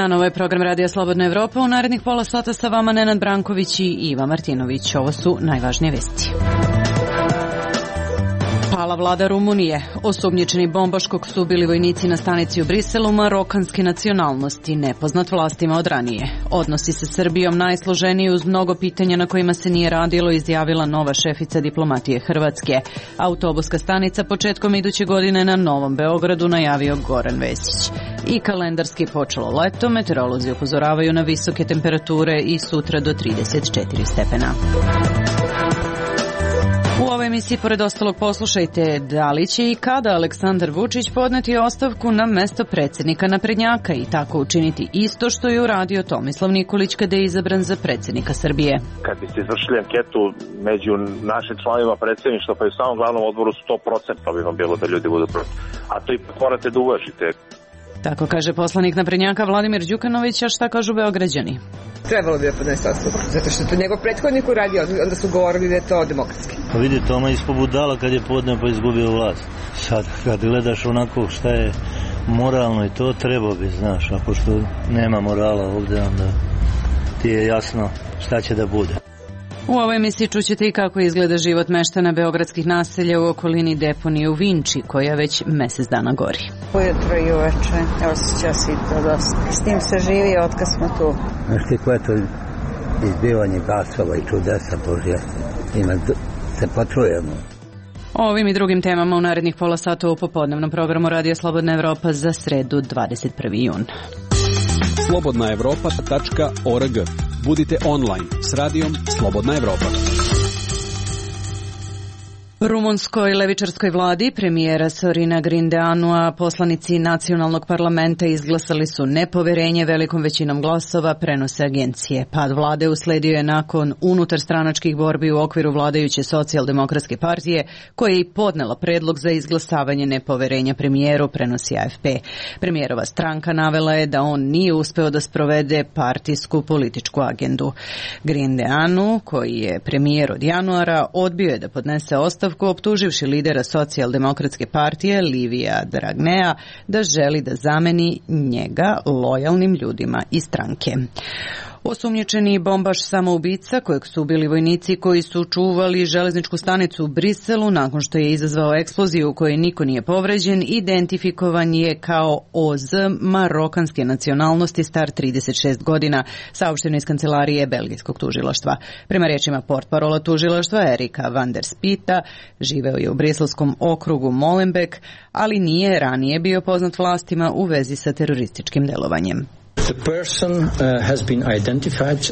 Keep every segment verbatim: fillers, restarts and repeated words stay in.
dan, ovo je program Radija Slobodna Evropa. U narednih pola sata sa vama Nenad Branković i Iva Martinović. Ovo su najvažnije vesti. Pala vlada Rumunije. Osumnjičeni bombaš kog su bili vojnici na stanici u Briselu marokanske nacionalnosti, nepoznat vlastima od ranije. Odnosi sa Srbijom najsloženiji uz mnogo pitanja na kojima se nije radilo, izjavila nova šefica diplomatije Hrvatske. Autobuska stanica početkom iduće godine na Novom Beogradu, najavio Goran Vesić. I kalendarski počelo leto, meteorolozi upozoravaju na visoke temperature i sutra do trideset četiri stepena. U ovoj emisiji, pored ostalog, poslušajte da li će i kada Aleksandar Vučić podneti ostavku na mesto predsjednika naprednjaka i tako učiniti isto što je uradio Tomislav Nikolić kada je izabran za predsjednika Srbije. Kad biste izvršili anketu među našim članovima predsjedništva pa i u samom glavnom odboru sto procenta bi vam bilo da ljudi budu protiv. A to ipak morate da uvažite. Tako kaže poslanik naprednjaka Vladimir Đukanović, a šta kažu Beograđani? Trebalo bi da podnese ostavku, zato što to njegov prethodnik uradio, onda su govorili da je to demokratski. Pa vidi, Toma ispod budala kad je podneo pa izgubio vlast. Sad kad gledaš onako šta je moralno i to, trebao bi, znaš, a pošto nema morala ovdje, onda ti je jasno šta će da bude. U ovoj emisiji čućete i kako izgleda život meštana beogradskih naselja u okolini deponije u Vinči, koja već mesec dana gori. Ujutro i uveče, osjeća se i to dosta. S tim se živi otkad smo tu. Znaš ti koje to izbivanje gasova i čudesa Božja, ima se počujemo. O ovim i drugim temama u narednih pola sata u popodnevnom programu Radija Slobodna Evropa za sredu dvadeset prvi jun. slobodna evropa tačka org. Budite online s radijom Slobodna Evropa. Rumunskoj levičarskoj vladi premijera Sorina Grindeanua poslanici nacionalnog parlamenta izglasali su nepoverenje velikom većinom glasova, prenose agencije. Pad vlade usledio je nakon unutarstranačkih borbi u okviru vladajuće socijaldemokratske partije, koja je i podnela predlog za izglasavanje nepoverenja premijeru, prenosi A F P. Premijerova stranka navela je da on nije uspeo da sprovede partijsku političku agendu. Grindeanu, koji je premijer od januara, odbio je da podnese ostavku, optuživši lidera socijaldemokratske partije Livija Dragnea da želi da zameni njega lojalnim ljudima iz stranke. Osumnjičeni bombaš samoubica kojeg su ubili vojnici koji su čuvali železničku stanicu u Briselu nakon što je izazvao eksploziju u kojoj niko nije povređen, identifikovan je kao O Z marokanske nacionalnosti, star trideset šest godina, saopšteno iz kancelarije belgijskog tužilaštva. Prema rečima portparola tužilaštva Erika van der Spita, živeo je u briselskom okrugu Molenbeek, ali nije ranije bio poznat vlastima u vezi sa terorističkim delovanjem.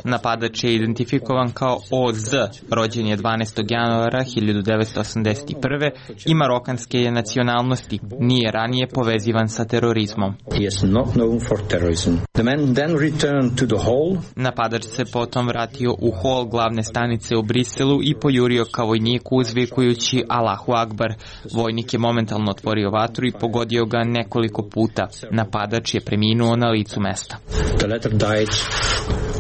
Napadač je identifikovan kao O Z, rođen je dvanaestog januara hiljadu devetsto osamdeset prve i marokanske je nacionalnosti, nije ranije povezivan sa terorizmom. Napadač se potom vratio u hol glavne stanice u Briselu i pojurio kao vojnik uzvikujući Allahu Akbar. Vojnik je momentalno otvorio vatru i pogodio ga nekoliko puta. Napadač je preminuo na licu mesta. The latter died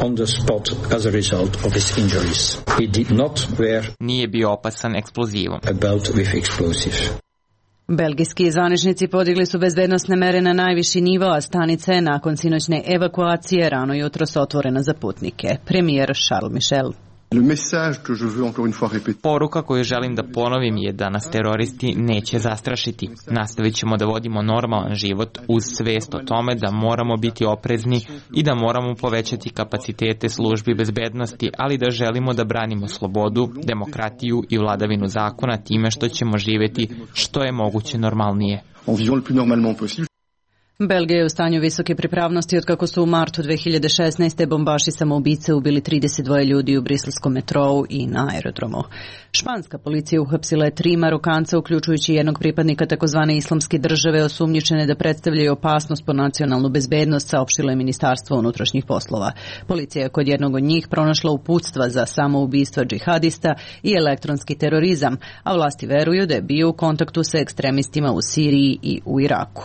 on the spot as a result of his injuries. He did not wear Nije bio opasan eksplozivom. a belt with explosives. Belgijski zvaničnici podigli su bezbednosne mere na najviši nivo, a stanica je nakon sinoćne evakuacije rano jutros otvorena za putnike. Premijer Charles Michel. Poruka koju želim da ponovim je da nas teroristi neće zastrašiti. Nastavit ćemo da vodimo normalan život uz svest o tome da moramo biti oprezni i da moramo povećati kapacitete službi bezbednosti, ali da želimo da branimo slobodu, demokratiju i vladavinu zakona time što ćemo živjeti što je moguće normalnije. Belgija je u stanju visoke pripravnosti otkako su u martu dve hiljade šesnaeste. bombaši samoubice ubili trideset dva ljudi u briselskom metrou i na aerodromu. Španska policija uhapsila je tri Marokanca, uključujući jednog pripadnika takozvane islamske države, osumnjičene da predstavljaju opasnost po nacionalnu bezbednost, saopštilo je Ministarstvo unutrašnjih poslova. Policija je kod jednog od njih pronašla uputstva za samoubistva džihadista i elektronski terorizam, a vlasti veruju da je bio u kontaktu sa ekstremistima u Siriji i u Iraku.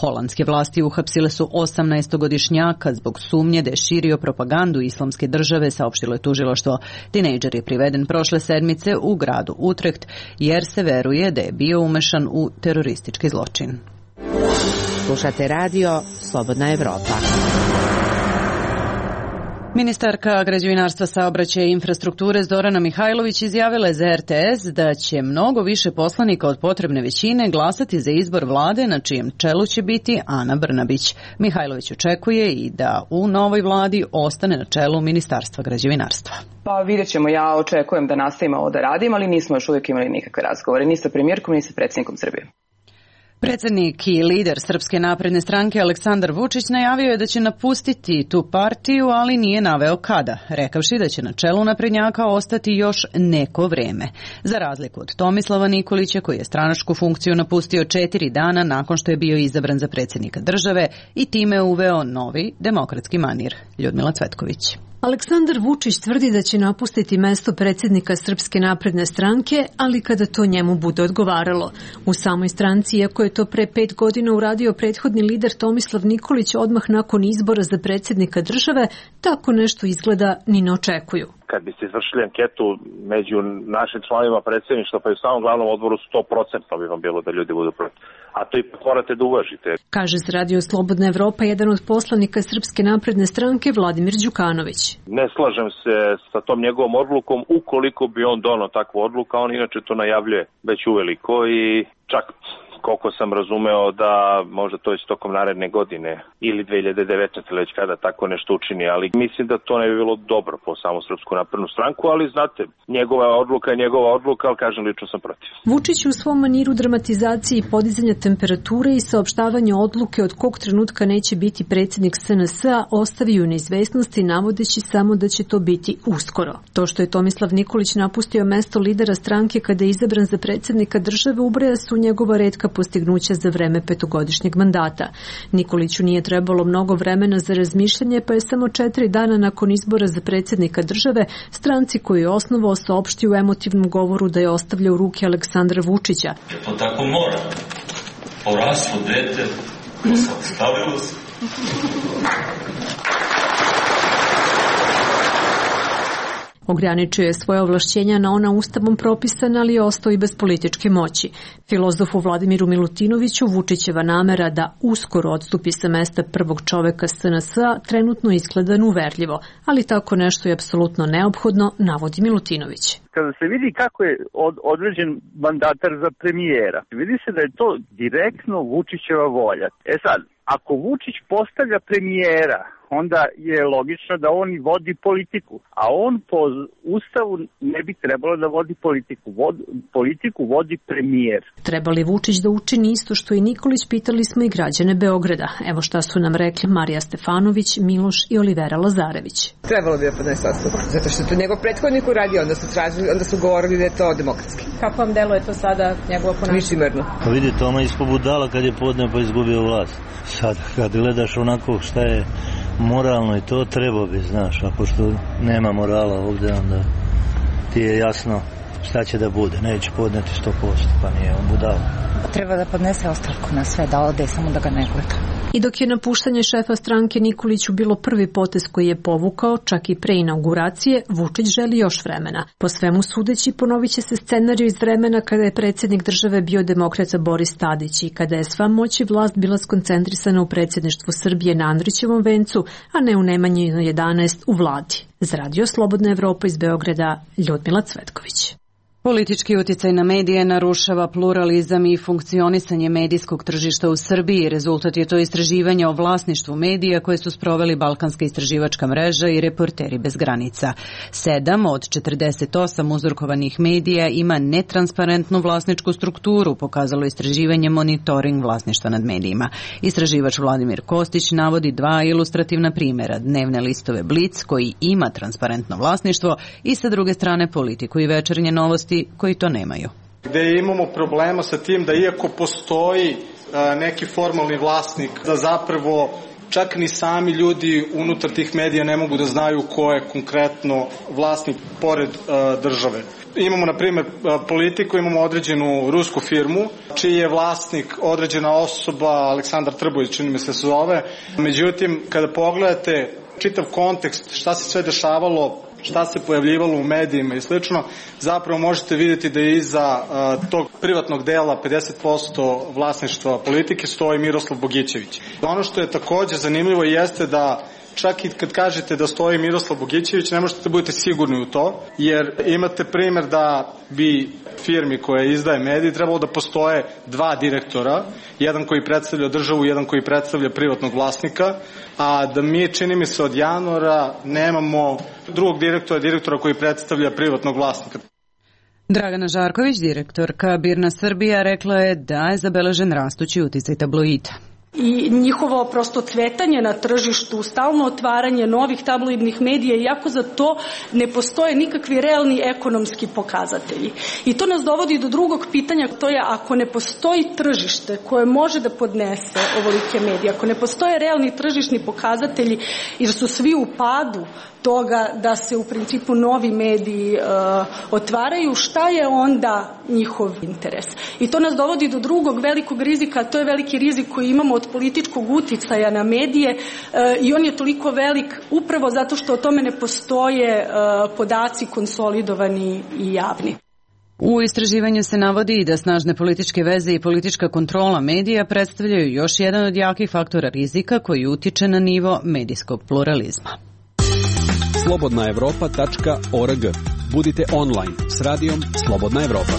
Holandske vlasti uhapsile su osamnaestogodišnjaka zbog sumnje da je širio propagandu islamske države, saopštilo je tužilaštvo. Tinejdžer je priveden prošle sedmice u gradu Utrecht jer se veruje da je bio umešan u teroristički zločin. Slušate radio Slobodna Evropa. Ministarka građevinarstva, saobraćaja i infrastrukture Zorana Mihajlović izjavila je za er te es da će mnogo više poslanika od potrebne većine glasati za izbor vlade na čijem čelu će biti Ana Brnabić. Mihajlović očekuje i da u novoj vladi ostane na čelu Ministarstva građevinarstva. Pa vidjet ćemo, ja očekujem da nastavimo ovo da radim, ali nismo još uvijek imali nikakve razgovore, ni sa premijerkom, ni sa predsjednikom Srbije. Predsjednik i lider Srpske napredne stranke Aleksandar Vučić najavio je da će napustiti tu partiju, ali nije naveo kada, rekavši da će na čelu naprednjaka ostati još neko vreme. Za razliku od Tomislava Nikolića, koji je stranačku funkciju napustio četiri dana nakon što je bio izabran za predsjednika države i time uveo novi demokratski manir. Ljudmila Cvetković. Aleksandar Vučić tvrdi da će napustiti mesto predsjednika Srpske napredne stranke, ali kada to njemu bude odgovaralo. U samoj stranci, iako je to pre pet godina uradio prethodni lider Tomislav Nikolić odmah nakon izbora za predsjednika države, tako nešto izgleda ni ne očekuju. Kad biste izvršili anketu među našim članovima predsjedništva pa i u samom glavnom odboru, sto procenta bi vam bilo da ljudi budu protiv. A to ipak morate da uvažite. Kaže za Radio Slobodna Evropa jedan od poslanika Srpske napredne stranke Vladimir Đukanović. Ne slažem se sa tom njegovom odlukom, ukoliko bi on donao takvu odluku, on inače to najavljuje već uveliko i čak koliko sam razumeo da možda to je tokom naredne godine ili dve hiljade devetnaeste već kada tako nešto učini, ali mislim da to ne bi bilo dobro po samu Srpsku naprednu stranku, ali znate, njegova odluka je njegova odluka, ali kažem, lično sam protiv. Vučić u svom maniru dramatizacije i podizanja temperature i saopštavanja odluke od kog trenutka neće biti predsjednik es en es a ostavio neizvesnosti navodeći samo da će to biti uskoro. To što je Tomislav Nikolić napustio mesto lidera stranke kada je izabran za predsjednika države ubraja su njegova retka postignuća za vreme petogodišnjeg mandata. Nikoliću nije trebalo mnogo vremena za razmišljanje, pa je samo četiri dana nakon izbora za predsjednika države stranci koju je osnovao saopštio u emotivnom govoru da je ostavlja u ruke Aleksandra Vučića. To tako mora. Poraslo dete, stavilo se. Ograničio je svoje ovlašćenja na ona ustavom propisana, ali je ostao i bez političke moći. Filozofu Vladimiru Milutinoviću Vučićeva namera da uskoro odstupi sa mesta prvog čoveka es en es a trenutno izgleda neuverljivo, ali tako nešto je apsolutno neophodno, navodi Milutinović. Kada se vidi kako je od, određen mandatar za premijera, vidi se da je to direktno Vučićeva volja. E sad, ako Vučić postavlja premijera, onda je logično da on i vodi politiku, a on po ustavu ne bi trebalo da vodi politiku. Vod, politiku vodi premijer. Treba li Vučić da učini isto što i Nikolić, pitali smo i građane Beograda. Evo šta su nam rekli Marija Stefanović, Miloš i Olivera Lazarević. Trebalo bi da podnese ostavku, zato što to njegov prethodnik uradio, onda su tražili, onda su govorili da je to demokratski. Kako vam deluje to sada njegovo ponašanje? Licemerno. Pa vidite, ona ispod budala kad je podneo pa izgubio vlast. Sad kad gledaš onako šta je moralno i to, treba bi, znaš, a pošto nema morala ovdje, onda ti je jasno šta će da bude, neće podneti sto posto, pa nije on budala. Treba da podnese ostavku na sve, da ode, samo da ga ne gleda. I dok je napuštanje šefa stranke Nikoliću bilo prvi potez koji je povukao, čak i pre inauguracije, Vučić želi još vremena. Po svemu sudeći, ponovit će se scenarij iz vremena kada je predsjednik države bio demokrata Boris Tadić i kada je sva moć i vlast bila skoncentrisana u predsjedništvu Srbije na Andrićevom vencu, a ne u Nemanjinoj jedanaest u vladi. Za Radio Slobodna Evropa iz Beograda, Ljudmila Cvetković. Politički uticaj na medije narušava pluralizam i funkcionisanje medijskog tržišta u Srbiji. Rezultat je to istraživanja o vlasništvu medija koje su sproveli Balkanska istraživačka mreža i Reporteri bez granica. Sedam od četrdeset osam uzorkovanih medija ima netransparentnu vlasničku strukturu, pokazalo istraživanje Monitoring vlasništva nad medijima. Istraživač Vladimir Kostić navodi dva ilustrativna primjera: dnevne listove Blic koji ima transparentno vlasništvo i sa druge strane Politiku i Večernje novosti koji to nemaju. Gde imamo problema sa tim da iako postoji a, neki formalni vlasnik, da zapravo čak ni sami ljudi unutar tih medija ne mogu da znaju ko je konkretno vlasnik pored a, države. Imamo, na primjer, Politiku, imamo određenu rusku firmu, čiji je vlasnik određena osoba, Aleksandar Trbović, čini mi se zove. Međutim, kada pogledate čitav kontekst, šta se sve dešavalo, šta se pojavljivalo u medijima i slično, zapravo možete vidjeti da je iza uh, tog privatnog dela pedeset posto vlasništva Politike stoji Miroslav Bogićević. Ono što je također zanimljivo jeste da čak i kad kažete da stoji Miroslav Bogićević, ne možete da budete sigurni u to, jer imate primjer da bi firmi koja izdaje mediji trebalo da postoje dva direktora, jedan koji predstavlja državu, jedan koji predstavlja privatnog vlasnika, a da mi, čini mi se, od januara nemamo drugog direktora, direktora koji predstavlja privatnog vlasnika. Dragana Žarković, direktorka Birna Srbija, rekla je da je zabeležen rastući uticaj tabloida. I njihovo prosto cvetanje na tržištu, stalno otvaranje novih tabloidnih medija, iako za to ne postoje nikakvi realni ekonomski pokazatelji. I to nas dovodi do drugog pitanja, to je ako ne postoji tržište koje može da podnese ovolike medije, ako ne postoje realni tržišni pokazatelji jer su svi u padu toga da se u principu novi mediji uh, otvaraju, šta je onda njihov interes? I to nas dovodi do drugog velikog rizika, a to je veliki rizik koji imamo od političkog uticaja na medije uh, i on je toliko velik upravo zato što o tome ne postoje uh, podaci konsolidovani i javni. U istraživanju se navodi i da snažne političke veze i politička kontrola medija predstavljaju još jedan od jakih faktora rizika koji utiče na nivo medijskog pluralizma. slobodna evropa tačka org. Budite online s radijom Slobodna Evropa.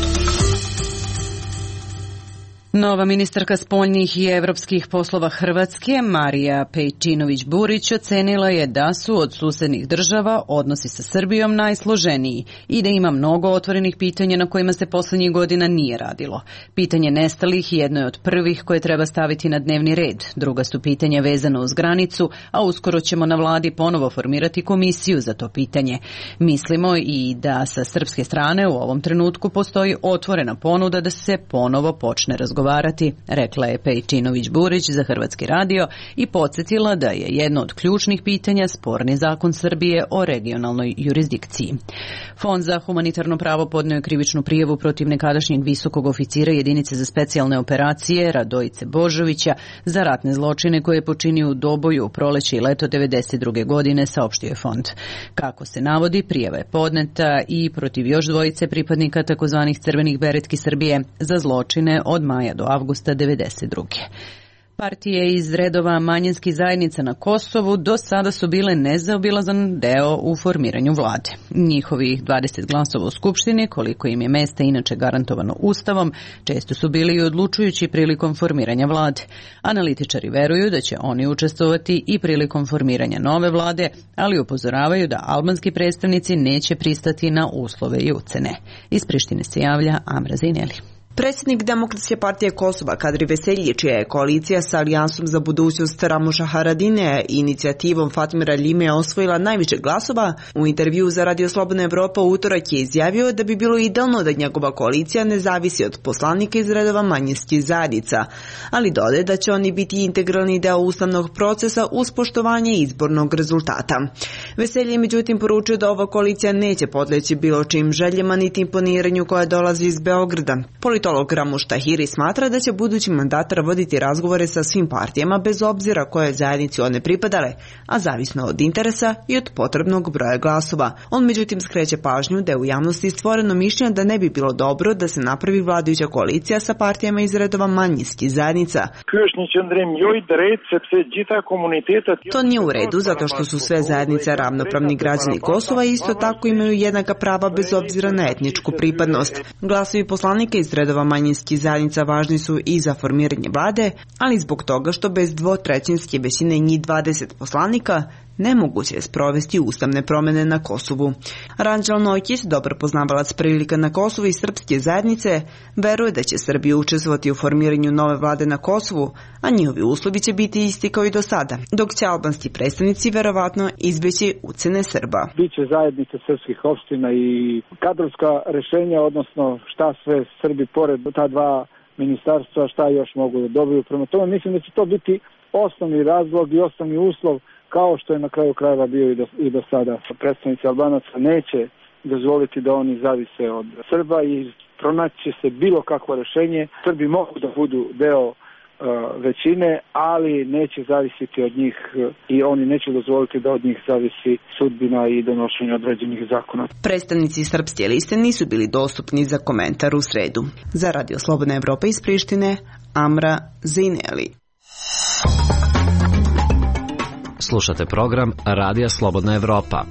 Nova ministarka spoljnih i evropskih poslova Hrvatske, Marija Pejčinović-Burić, ocenila je da su od susednih država odnosi sa Srbijom najsloženiji i da ima mnogo otvorenih pitanja na kojima se poslednjih godina nije radilo. Pitanje nestalih jedno je od prvih koje treba staviti na dnevni red. Druga su pitanja vezano uz granicu, a uskoro ćemo na vladi ponovo formirati komisiju za to pitanje. Mislimo i da sa srpske strane u ovom trenutku postoji otvorena ponuda da se ponovo počne razgovarati. Rekla je Pejčinović-Burić za Hrvatski radio i podsjetila da je jedno od ključnih pitanja sporni zakon Srbije o regionalnoj jurisdikciji. Fond za humanitarno pravo podneo je krivičnu prijavu protiv nekadašnjeg visokog oficira jedinice za specijalne operacije Radojice Božovića za ratne zločine koje je počinio u Doboju u proleće i leto devedeset druge godine, saopštio je fond. Kako se navodi, prijava je podneta i protiv još dvojice pripadnika takozvanih crvenih beretki Srbije za zločine od maja do avgusta devedeset druge. Partije iz redova manjinskih zajednica na Kosovu do sada su bile nezaobilazan deo u formiranju vlade. Njihovih dvadeset glasova u Skupštini, koliko im je mesta inače garantovano Ustavom, često su bili i odlučujući prilikom formiranja vlade. Analitičari veruju da će oni učestvovati i prilikom formiranja nove vlade, ali upozoravaju da albanski predstavnici neće pristati na uslove i ucene. Iz Prištine se javlja Amra Zineli. Predsjednik Demokratske partije Kosova Kadri Veselji, čija je koalicija sa Alijansom za budućnost Ramuša Haradine i inicijativom Fatmira Ljime osvojila najviše glasova, u intervju za Radio Slobodna Evropa u utorak je izjavio da bi bilo idealno da njegova koalicija ne zavisi od poslanika iz redova manjinskih zajednica, ali dodaje da će oni biti integralni deo ustavnog procesa uz poštovanje izbornog rezultata. Veselji je međutim poručio da ova koalicija neće podleći bilo čim željama niti imponiranju koja dolazi iz Beograda. Politolog Ramuš Tahiri smatra da će budući mandatar voditi razgovore sa svim partijama bez obzira koje zajednici one pripadale, a zavisno od interesa i od potrebnog broja glasova. On međutim skreće pažnju da je u javnosti stvoreno mišljenje da ne bi bilo dobro da se napravi vladajuća koalicija sa partijama iz redova manjinskih zajednica. To nije u redu zato što su sve zajednice ravnopravni građani Kosova i isto tako imaju jednaka prava bez obzira na etničku pripadnost. Glasovi poslanika iz redova manjinskih zajednica važni su i za formiranje vlade, ali zbog toga što bez dvotrećinske većine njih dvadeset poslanika nemoguće je sprovesti ustavne promjene na Kosovu. Ranđel Nojkić, dobar poznavalac prilika na Kosovu i srpske zajednice, veruje da će Srbija učestvovati u formiranju nove vlade na Kosovu, a njihovi uslovi će biti isti kao i do sada, dok će albanski predstavnici verovatno izbjeći ucene Srba. Biće zajednice srpskih opština i kadrovska rešenja, odnosno šta sve Srbi pored ta dva ministarstva, šta još mogu da dobiju. Prema tome mislim da će to biti osnovni razlog i osnovni uslov, kao što je na kraju krajeva bio i do, i do sada. Predstavnici Albanaca neće dozvoliti da oni zavise od Srba i pronaći se bilo kakvo rešenje. Srbi mogu da budu deo uh, većine, ali neće zavisiti od njih i oni neće dozvoliti da od njih zavisi sudbina i donošenje određenih zakona. Predstavnici srpske liste nisu bili dostupni za komentar u sredu. Za Radio Slobodna Evropa iz Prištine, Amra Zineli. Slušate program Radija Slobodna Evropa.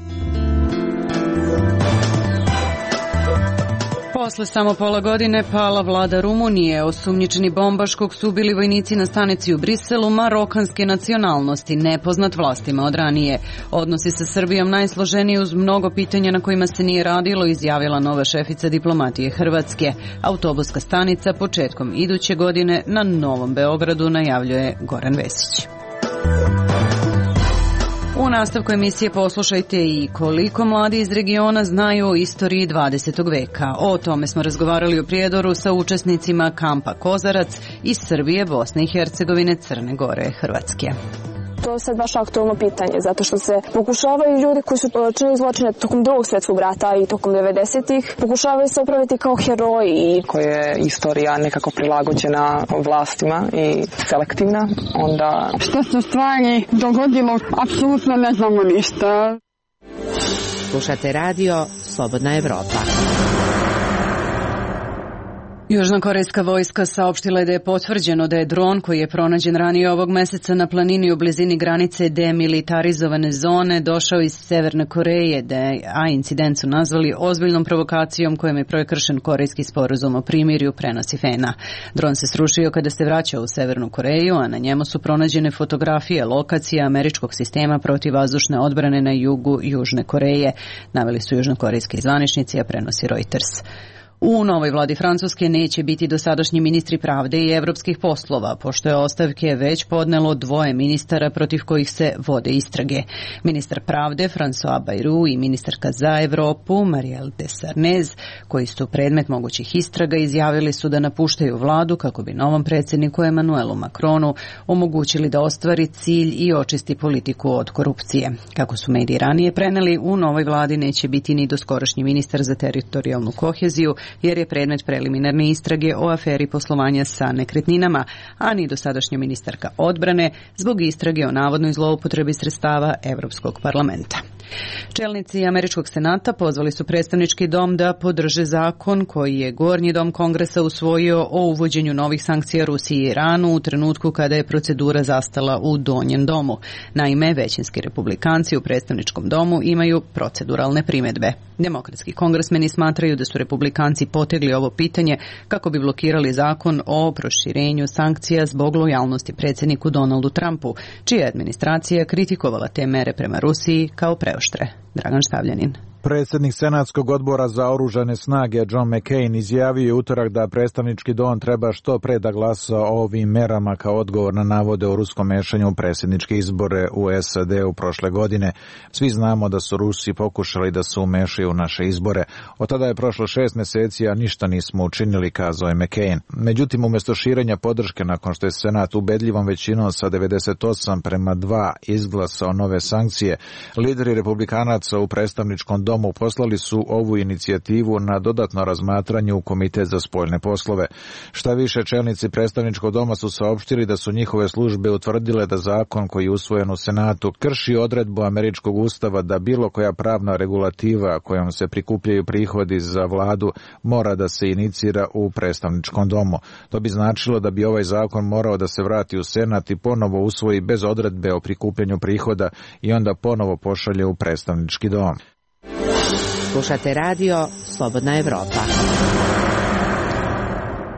Posle samo pola godine pala vlada Rumunije. Osumnjičeni bombaš kog su ubili vojnici na stanici u Briselu marokanske nacionalnosti, nepoznat vlastima od ranije. Odnosi sa Srbijom najsloženiji uz mnogo pitanja na kojima se nije radilo, izjavila nova šefica diplomatije Hrvatske. Autobuska stanica početkom iduće godine na Novom Beogradu, najavljuje Goran Vesić. U nastavku emisije poslušajte i koliko mladi iz regiona znaju o istoriji dvadesetog veka. O tome smo razgovarali u Prijedoru sa učesnicima kampa Kozarac iz Srbije, Bosne i Hercegovine, Crne Gore, Hrvatske. To je sad baš aktualno pitanje, zato što se pokušavaju ljudi koji su činili zločine tokom drugog svjetskog rata i tokom devedesetih, pokušavaju se upraviti kao heroji. Koje je istorija nekako prilagođena vlastima i selektivna, onda... Što se stvari dogodilo, apsolutno ne znamo ništa. Slušate radio Slobodna Evropa. Južnokorejska vojska saopštila je da je potvrđeno da je dron koji je pronađen ranije ovog meseca na planini u blizini granice demilitarizovane zone došao iz Severne Koreje, a incident su nazvali ozbiljnom provokacijom kojom je prekršen korejski sporazum o primirju, prenosi Fena. Dron se srušio kada se vraćao u Severnu Koreju, a na njemu su pronađene fotografije lokacija američkog sistema protivvazdušne odbrane na jugu Južne Koreje, naveli su južnokorejski zvaničnici, a prenosi Reuters. U novoj vladi Francuske neće biti dosadašnji ministri pravde i evropskih poslova, pošto je ostavke već podnelo dvoje ministara protiv kojih se vode istrage. Ministar pravde François Bayrou i ministarka za Evropu Marielle de Sarnez, koji su predmet mogućih istraga, izjavili su da napuštaju vladu kako bi novom predsjedniku Emmanuelu Macronu omogućili da ostvari cilj i očisti politiku od korupcije. Kako su mediji ranije preneli, u novoj vladi neće biti ni doskorašnji ministar za teritorijalnu koheziju, jer je predmet preliminarne istrage o aferi poslovanja sa nekretninama, a ni dosadašnja ministarka odbrane zbog istrage o navodnoj zloupotrebi sredstava Evropskog parlamenta. Čelnici Američkog senata pozvali su predstavnički dom da podrže zakon koji je Gornji dom Kongresa usvojio o uvođenju novih sankcija Rusiji i Iranu u trenutku kada je procedura zastala u Donjem domu. Naime, većinski republikanci u predstavničkom domu imaju proceduralne primjedbe. Demokratski kongresmeni smatraju da su republikanci potegli ovo pitanje kako bi blokirali zakon o proširenju sankcija zbog lojalnosti predsjedniku Donaldu Trumpu, čija je administracija kritikovala te mere prema Rusiji kao preoštre. Dragan Štavljanin. Predsjednik Senatskog odbora za oružane snage John McCain izjavio je utorak da predstavnički dom treba što pre da glasa o ovim merama kao odgovor na navode o ruskom mešanju u predsjedničke izbore u S A D u prošle godine. Svi znamo da su Rusi pokušali da se umešaju u naše izbore. Od tada je prošlo šest mjeseci, a ništa nismo učinili, kazao je McCain. Međutim, umjesto širenja podrške nakon što je Senat ubedljivom većinom sa devedeset osam prema dva izglasao nove sankcije, lideri republikanaca u predstavničkom domu Domu poslali su ovu inicijativu na dodatno razmatranje u Komitet za spoljne poslove. Šta više, čelnici predstavničkog doma su saopštili da su njihove službe utvrdile da zakon koji je usvojen u Senatu krši odredbu američkog ustava da bilo koja pravna regulativa kojom se prikupljaju prihodi za vladu mora da se inicira u predstavničkom domu. To bi značilo da bi ovaj zakon morao da se vrati u Senat i ponovo usvoji bez odredbe o prikupljanju prihoda i onda ponovo pošalje u predstavnički dom. Slušate radio Slobodna Evropa.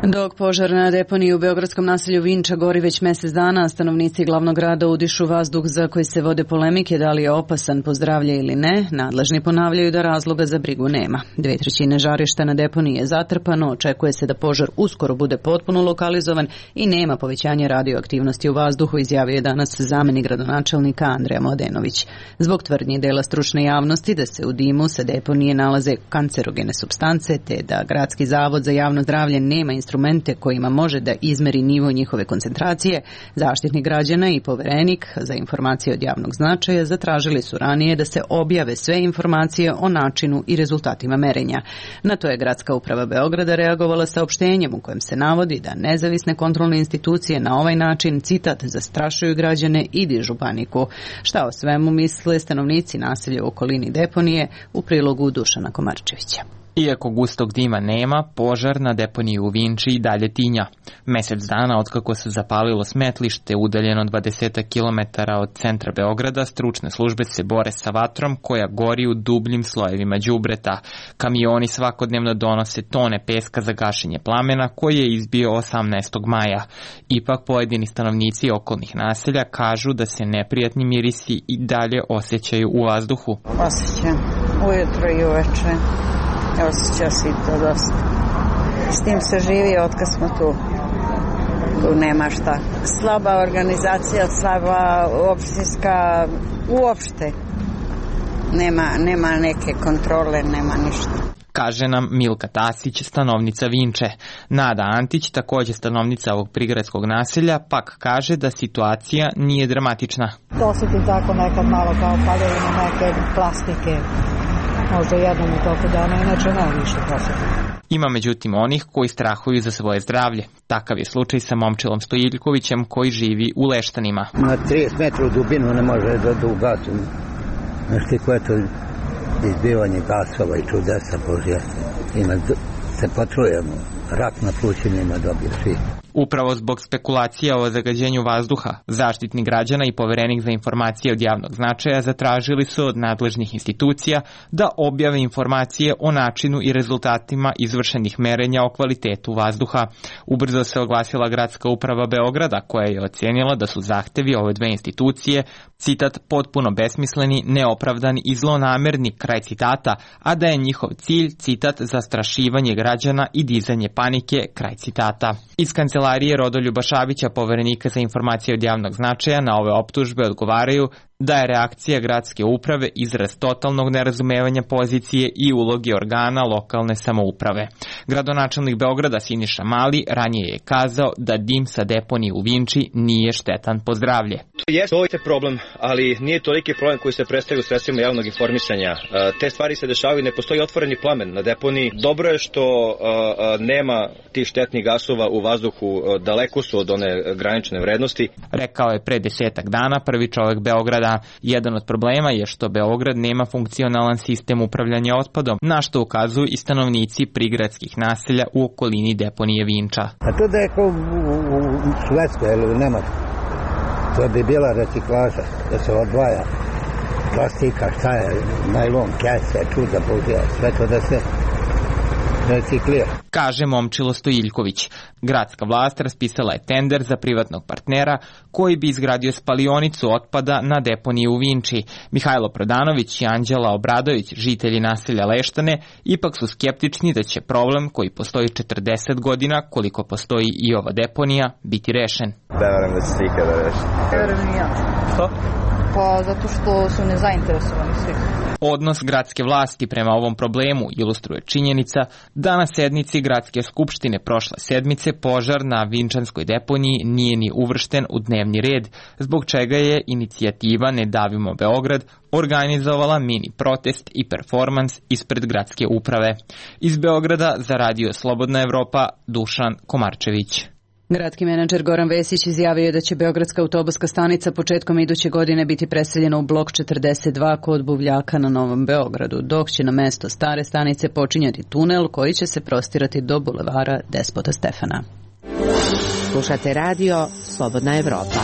Dok požar na deponiji u beogradskom naselju Vinča gori već mjesec dana, stanovnici glavnog grada udišu vazduh za koji se vode polemike da li je opasan po zdravlje ili ne, nadležni ponavljaju da razloga za brigu nema. Dve trećine žarišta na deponiji je zatrpano, očekuje se da požar uskoro bude potpuno lokalizovan i nema povećanja radioaktivnosti u vazduhu, izjavio je danas zamjenik gradonačelnika Andreja Mladenović. Zbog tvrdnji dela stručne javnosti da se u dimu sa deponije nalaze kancerogene supstance, te da Gradski zavod za javno zdravlje nema instrumente kojima može da izmeri nivo njihove koncentracije, Zaštitnik građana i Poverenik za informacije od javnog značaja zatražili su ranije da se objave sve informacije o načinu i rezultatima merenja. Na to je Gradska uprava Beograda reagovala saopštenjem u kojem se navodi da nezavisne kontrolne institucije na ovaj način, citat, zastrašuju građane i dižu paniku. Šta o svemu misle stanovnici naselja u okolini deponije, u prilogu Dušana Komarčevića. Iako gustog dima nema, požar na deponiji u Vinči i dalje tinja. Mesec dana otkako se zapalilo smetlište udaljeno dvadeset kilometara od centra Beograda, stručne službe se bore sa vatrom koja gori u dubljim slojevima đubreta. Kamioni svakodnevno donose tone peska za gašenje plamena koji je izbio osamnaestog maja. Ipak pojedini stanovnici okolnih naselja kažu da se neprijatni mirisi i dalje osjećaju u vazduhu. Osjećam ujutro i uveče. Osjeća se i to dosta. S tim se živi otkad smo tu. Tu nema šta. Slaba organizacija, slaba opštinska, uopšte. Nema, nema neke kontrole, nema ništa. Kaže nam Milka Tasić, stanovnica Vinče. Nada Antić, takođe stanovnica ovog prigradskog naselja, pak kaže da situacija nije dramatična. Osjetim tako nekad malo kao padaju na neke plastike. Možda jednom u toku dana, inače ne više posjetim. Ima međutim onih koji strahuju za svoje zdravlje. Takav je slučaj sa Momčilom Stojiljkovićem koji živi u Leštanima. Na trideset metara u dubinu ne može da, da ugasu. Znaš ti koje to izbivanje gasova i čudesa Božja. Ima, se potrujemo. Rak na plućima dobije svi. Upravo zbog spekulacija o zagađenju vazduha, Zaštitnik građana i Poverenik za informacije od javnog značaja zatražili su od nadležnih institucija da objave informacije o načinu i rezultatima izvršenih merenja o kvalitetu vazduha. Ubrzo se oglasila Gradska uprava Beograda koja je ocenila da su zahtevi ove dve institucije, citat, potpuno besmisleni, neopravdani i zlonamerni, kraj citata, a da je njihov cilj, citat, zastrašivanje građana i dizanje panike, kraj citata. Iz kancelarije Rodoljuba Šabića, Poverenika za informacije od javnog značaja, na ove optužbe odgovaraju da je reakcija gradske uprave izraz totalnog nerazumevanja pozicije i uloge organa lokalne samouprave. Gradonačelnik Beograda Siniša Mali ranije je kazao da dim sa deponije u Vinči nije štetan po zdravlje. Jeste, ovo je problem, ali nije toliki problem koji se predstavlja u sredstvima javnog informisanja. Te stvari se dešavaju, ne postoji otvoreni plamen na deponiji. Dobro je što nema tih štetnih gasova u vazduhu, daleko su od one granične vrednosti. Rekao je pre desetak dana prvi čovek Beograda. Jedan od problema je što Beograd nema funkcionalan sistem upravljanja otpadom, na što ukazuju i stanovnici prigradskih naselja u okolini deponije Vinča. A to da je kao u, u Švedskoj ili u Nemačkoj, to bi bila reciklaža, da se odvaja plastika, šta je, najlon, kese, čuda, Božja, sve to da se reciklira. Kaže Momčilo Stojiljković. Gradska vlast raspisala je tender za privatnog partnera koji bi izgradio spalionicu otpada na deponiji u Vinči. Mihajlo Prodanović i Anđela Obradović, žitelji naselja Leštane, ipak su skeptični da će problem koji postoji četrdeset godina, koliko postoji i ova deponija, biti rešen. Ne verujem da će se ikada rešiti. Ne verujem i ja. Što? Pa zato što su nezainteresovani svi. Odnos gradske vlasti prema ovom problemu ilustruje činjenica da na sednici Gradske skupštine prošle sedmice požar na Vinčanskoj deponiji nije ni uvršten u dnevni red, zbog čega je inicijativa Ne davimo Beograd organizovala mini protest i performans ispred gradske uprave. Iz Beograda za Radio Slobodna Evropa, Dušan Komarčević. Gradski menadžer Goran Vesić izjavio je da će Beogradska autobuska stanica početkom iduće godine biti preseljena u blok četrdeset dva kod Buvljaka na Novom Beogradu, dok će na mesto stare stanice počinjati tunel koji će se prostirati do bulevara Despota Stefana. Slušate radio Slobodna Evropa.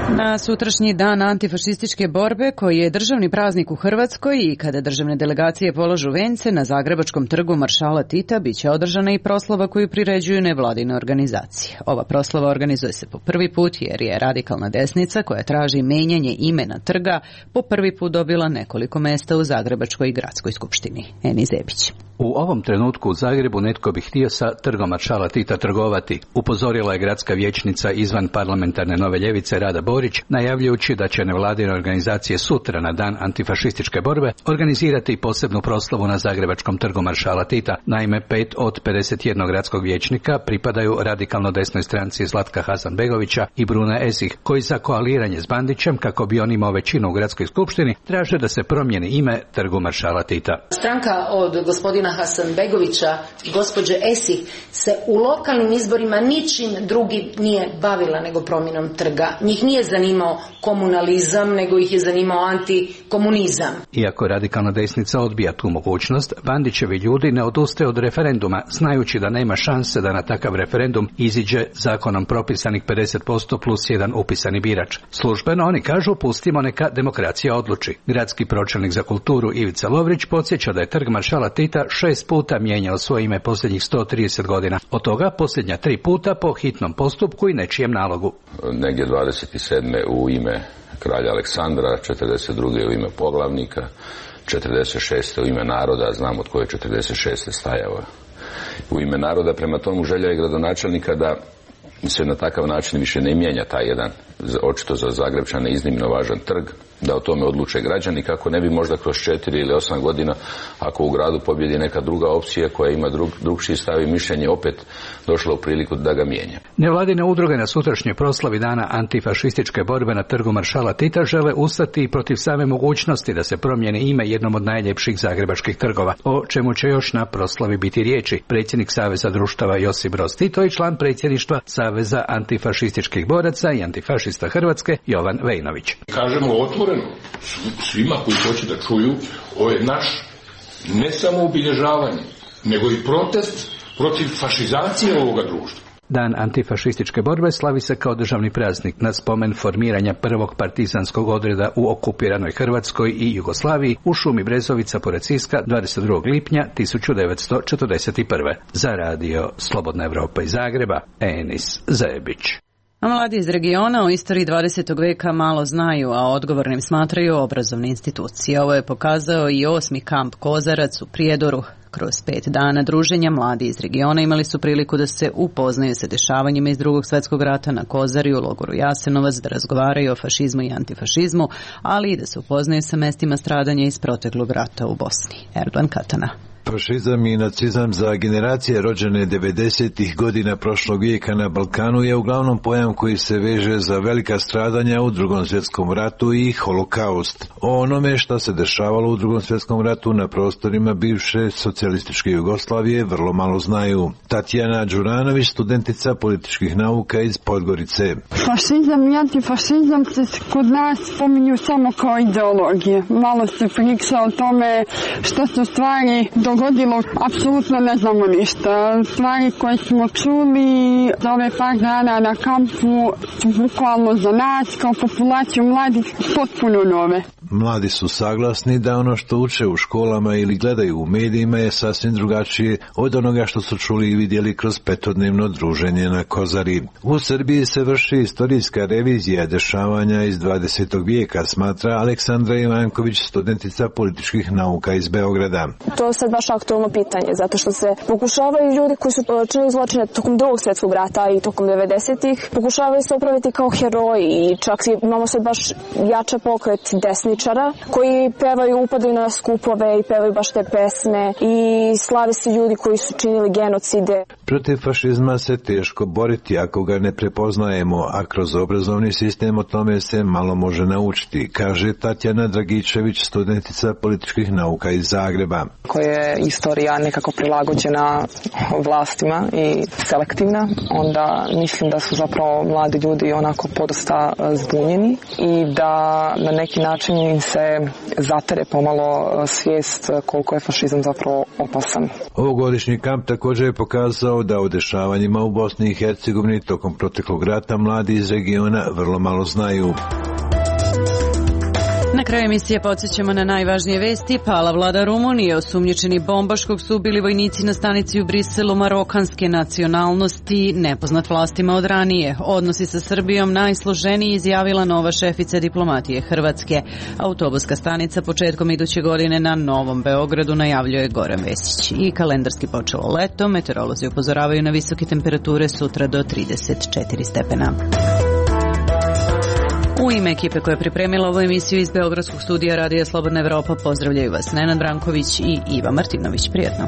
Na sutrašnji dan antifašističke borbe, koji je državni praznik u Hrvatskoj i kada državne delegacije polažu vence, na Zagrebačkom trgu Maršala Tita biće održana i proslava koju priređuju nevladine organizacije. Ova proslava organizuje se po prvi put jer je radikalna desnica koja traži menjanje imena trga po prvi put dobila nekoliko mesta u Zagrebačkoj gradskoj skupštini. Eni Zebić. U ovom trenutku u Zagrebu netko bi htio sa trgom Maršala Tita trgovati, upozorila je gradska vijećnica izvan parlamentarne Nove ljevice Rada Borić, najavljujući da će nevladine organizacije sutra na dan antifašističke borbe organizirati posebnu proslavu na Zagrebačkom trgu Maršala Tita. Naime, pet od pedeset jedan gradskog vijećnika pripadaju radikalno desnoj stranci Zlatka Hasanbegovića i Bruna Esih, koji za koaliranje s Bandićem, kako bi on imao većinu u gradskoj skupštini, traže da se promijeni ime trgu Maršala Tita. Stranka od gospodina Hasanbegovića i gospođe Esih se u lokalnim izborima ničim drugim nije bavila nego promjenom trga. Njih nije zanimao komunalizam, nego ih je zanimao antikomunizam. Iako radikalna desnica odbija tu mogućnost, Bandićevi ljudi ne odustaju od referenduma, znajući da nema šanse da na takav referendum iziđe zakonom propisanih pedeset posto plus jedan upisani birač. Službeno oni kažu pustimo neka demokracija odluči. Gradski pročelnik za kulturu Ivica Lovrić podsjeća da je trg maršala Tita šest puta mijenjao svoje ime posljednjih sto trideset godina. Od toga posljednja tri puta po hitnom postupku i nečijem nalogu. Negdje dvadeset sedme u ime kralja Aleksandra, četrdeset druge u ime poglavnika, četrdeset šeste u ime naroda, znam od koje je četrdeset šeste stajao u ime naroda. Prema tomu želja je gradonačelnika da se na takav način više ne mijenja taj jedan, očito za Zagrebčane iznimno važan trg, da o tome odluče građani, kako ne bi možda kroz četiri ili osam godina, ako u gradu pobjedi neka druga opcija koja ima drug, drugčiji stav i mišljenje, opet došla u priliku da ga mijenja. Nevladine udruge na sutrašnjoj proslavi dana antifašističke borbe na trgu maršala Tita žele ustati i protiv same mogućnosti da se promijeni ime jednom od najljepših zagrebačkih trgova, o čemu će još na proslavi biti riječi predsjednik Saveza društava Josip Broz Tito i član predsjedništva Saveza antifašističkih boraca i antifašista Hrvatske Jovan Vejnović. Kažemo otvoreno svima koji hoće da čuju, ovo je naš ne samo obilježavanje, nego i protest protiv fašizacije ovoga društva. Dan antifašističke borbe slavi se kao državni praznik na spomen formiranja prvog partizanskog odreda u okupiranoj Hrvatskoj i Jugoslaviji u šumi Brezovica pored Siska dvadeset drugog lipnja tisuću devetsto četrdeset prve. Za radio Slobodna Evropa iz Zagreba, Enis Zebić. A mladi iz regiona o istoriji dvadesetog veka malo znaju, a odgovornim smatraju obrazovne institucije. Ovo je pokazao i osmi kamp Kozarac u Prijedoru. Kroz pet dana druženja mladi iz regiona imali su priliku da se upoznaju sa dešavanjima iz drugog svjetskog rata na Kozari u logoru Jasenovac, da razgovaraju o fašizmu i antifašizmu, ali i da se upoznaju sa mestima stradanja iz proteklog rata u Bosni. Erdogan Katana. Fašizam i nacizam za generacije rođene devedesetih godina prošlog vijeka na Balkanu je uglavnom pojam koji se veže za velika stradanja u drugom svjetskom ratu i holokaust. O onome što se dešavalo u drugom svjetskom ratu na prostorima bivše socijalističke Jugoslavije vrlo malo znaju. Tatjana Đuranović, studentica političkih nauka iz Podgorice. Fašizam i antifašizam se kod nas spominju samo kao ideologije. Malo se priča o tome što su stvari do dogodilo, apsolutno ne znamo ništa. Stvari koje smo čuli za ove par dana na kampu su bukvalno za nas kao populaciju mladih potpuno nove. Mladi su saglasni da ono što uče u školama ili gledaju u medijima je sasvim drugačije od onoga što su čuli i vidjeli kroz petodnevno druženje na Kozari. U Srbiji se vrši istorijska revizija dešavanja iz dvadesetog vijeka, smatra Aleksandra Ivanković, studentica političkih nauka iz Beograda. To je sad baš aktualno pitanje, zato što se pokušavaju ljudi koji su činili zločine tokom drugog svjetskog rata i tokom devedesetih, pokušavaju se upraviti kao heroji i čak imamo sad baš jača pokret desničara koji pevaju, upadaju na skupove i pevaju baš te pesme i slave se ljudi koji su činili genocide. Protiv fašizma se teško boriti ako ga ne prepoznajemo, a kroz obrazovni sistem o tome se malo može naučiti, kaže Tatjana Dragičević, studentica političkih nauka iz Zagreba. Koja je istorija nekako prilagođena vlastima i selektivna, onda mislim da su zapravo mladi ljudi onako podosta zbunjeni i da na neki način im se zatere pomalo svijest koliko je fašizam zapravo opasan. Ovogodišnji kamp također je pokazao da o dešavanjima u Bosni i Hercegovini tokom proteklog rata mladi iz regiona vrlo malo znaju. Na kraju emisije podsjećamo na najvažnije vesti. Pala vlada Rumunije, osumnjičeni bombaš kog su ubili vojnici na stanici u Briselu marokanske nacionalnosti, nepoznat vlastima od ranije. Odnosi sa Srbijom najsloženiji, izjavila nova šefica diplomatije Hrvatske. Autobuska stanica početkom iduće godine na Novom Beogradu, najavljuje Goran Vesić. I kalendarski počelo leto, meteorolozi upozoravaju na visoke temperature sutra do trideset četiri stepena. U ime ekipe koja je pripremila ovu emisiju iz Beogradskog studija Radija Slobodna Evropa pozdravljaju vas Nenad Branković i Iva Martinović. Prijetno.